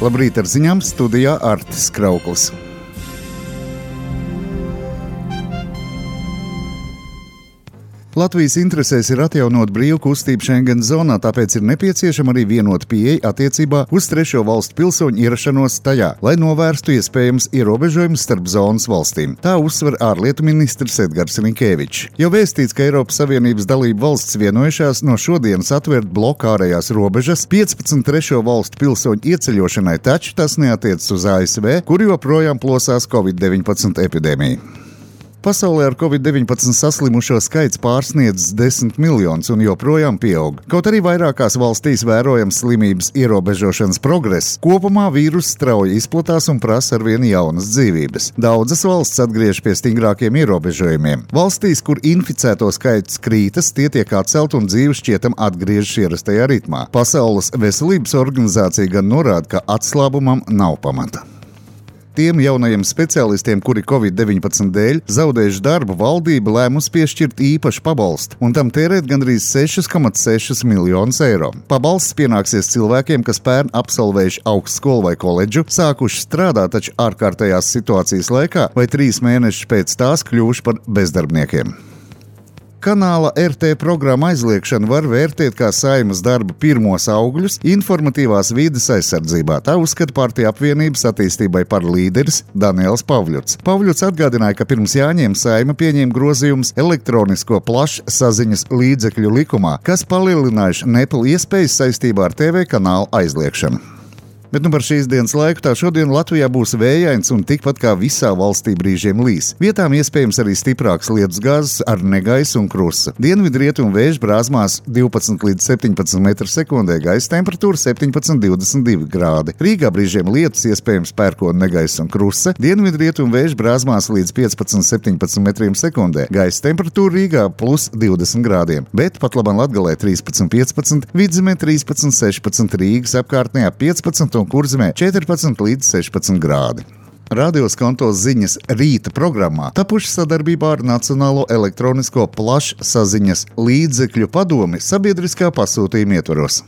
Labrīt ar ziņām, studijā Artis Krauklis. Latvijas interesēs ir atjaunot brīvu kustību Schengen zonā, tāpēc ir nepieciešama arī vienota pieeja attiecībā uz trešo valstu pilsoņu ierašanos tajā, lai novērstu iespējams ierobežojumus starp zonas valstīm. Tā uzsver ārlietu ministrs Edgars Rinkēvičs. Jau vēstīts, ka Eiropas Savienības dalību valsts vienojušās no šodienas atvērt bloku ārējās robežas 15 trešo valstu pilsoņu ieceļošanai, taču tas neatiecas uz ASV, kur joprojām plosās Covid-19 epidēmija. Pasaulē ar Covid-19 saslimušo skaits pārsniedz 10 miljonus un joprojām pieaug. Kaut arī vairākās valstīs vērojams slimības ierobežošanas progress, kopumā vīruss strauji izplatās un prasa arvien jaunas dzīvības. Daudzas valsts atgriež pie stingrākiem ierobežojumiem. Valstīs, kur inficēto skaits krītas, tie tiek atcelt un dzīve šķietam atgriežas ierastajā ritmā. Pasaules veselības organizācija gan norāda, ka atslābumam nav pamata. Tiem jaunajiem speciālistiem, kuri Covid-19 dēļ zaudējuši darbu, valdība lēmusi piešķirt īpašu pabalstu un tam tērēt gandrīz 6,6 miljonus eiro. Pabalsts pienāksies cilvēkiem, kas pērn absolvējuši augstskolu vai koledžu, sākuši strādāt taču ārkārtējās situācijas laikā vai 3 mēnešus pēc tās kļuvuši par bezdarbniekiem. Kanāla RT programma aizliekšana var vērtēt kā Saeimas darba pirmos augļus informatīvās vides aizsardzībā. Tā uzskata Partiju apvienības attīstībai par līderis Daniels Pavļuts. Pavļuts atgādināja, ka pirms jāņem Saeima pieņēma grozījumus elektronisko plašsaziņas līdzekļu likumā, kas palielinājuši nepilnu iespējas saistībā ar TV kanālu aizliekšanu. Bet par šīs dienas laiku tā šodien Latvijā būs vējains un tikpat kā visā valstī brīžiem līs. Vietām iespējams arī stiprāks lietus gāzes ar negaisu un krusa. Dienvidrietumu vēju brāzmās 12 līdz 17 m/sekundē, gaisa temperatūra 17–22 grādi. Rīgā brīžiem lietus iespējams pērkona negaisu un krusa. Dienvidrietumu vēju brāzmās līdz 15–17 m/sekundē, gaisa temperatūra Rīgā plus 20 grādiem. Bet pat labam Latgalē 13–15, Vidzemē 13–16, Rīgas apkārtnē 15 un Kurzemē 14 līdz 16 grādi. Radio Skonto ziņas rīta programmā tapuši sadarbībā ar Nacionālo elektronisko plašsaziņas līdzekļu padomi sabiedriskā pasūtījuma ietvaros.